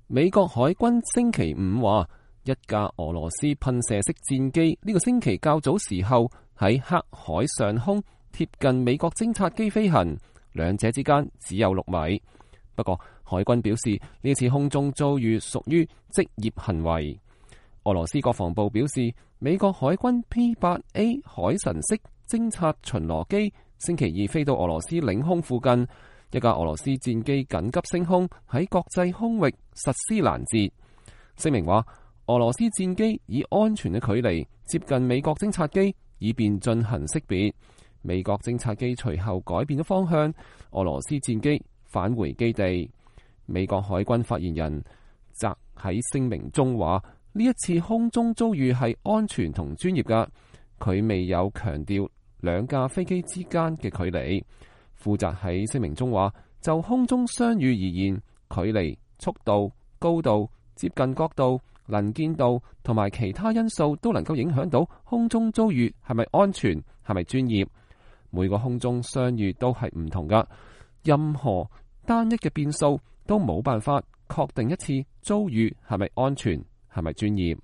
美國海軍星期五話，一架俄羅斯噴射式戰機呢個星期較早時候喺黑海上空貼近美國偵察機飛行，兩者之間只有6米。不過海軍表示呢次空中遭遇屬於職業行為。俄羅斯國防部表示，美國海軍 P-8A 海神式偵察巡邏機星期二飛到俄羅斯領空附近，一架俄羅斯戰機緊急升空喺國際空域實施攔截。聲明話，俄羅斯戰機以安全嘅距離接近美國偵察機，以便進行識別。美國偵察機隨後改變咗方向，俄羅斯戰機返回基地。美國海軍發言人則喺聲明中話，呢一次空中遭遇係安全同專業㗎，佢未有強調兩架飛機之間嘅距離。負責喺聲明中話，就空中相遇而言，距離、速度、高度、接近角度、能見度同埋其他因素都能夠影響到空中遭遇係咪安全、係咪專業。每個空中相遇都係唔同㗎，任何單一嘅變數都冇辦法確定一次遭遇係咪安全、係咪專業。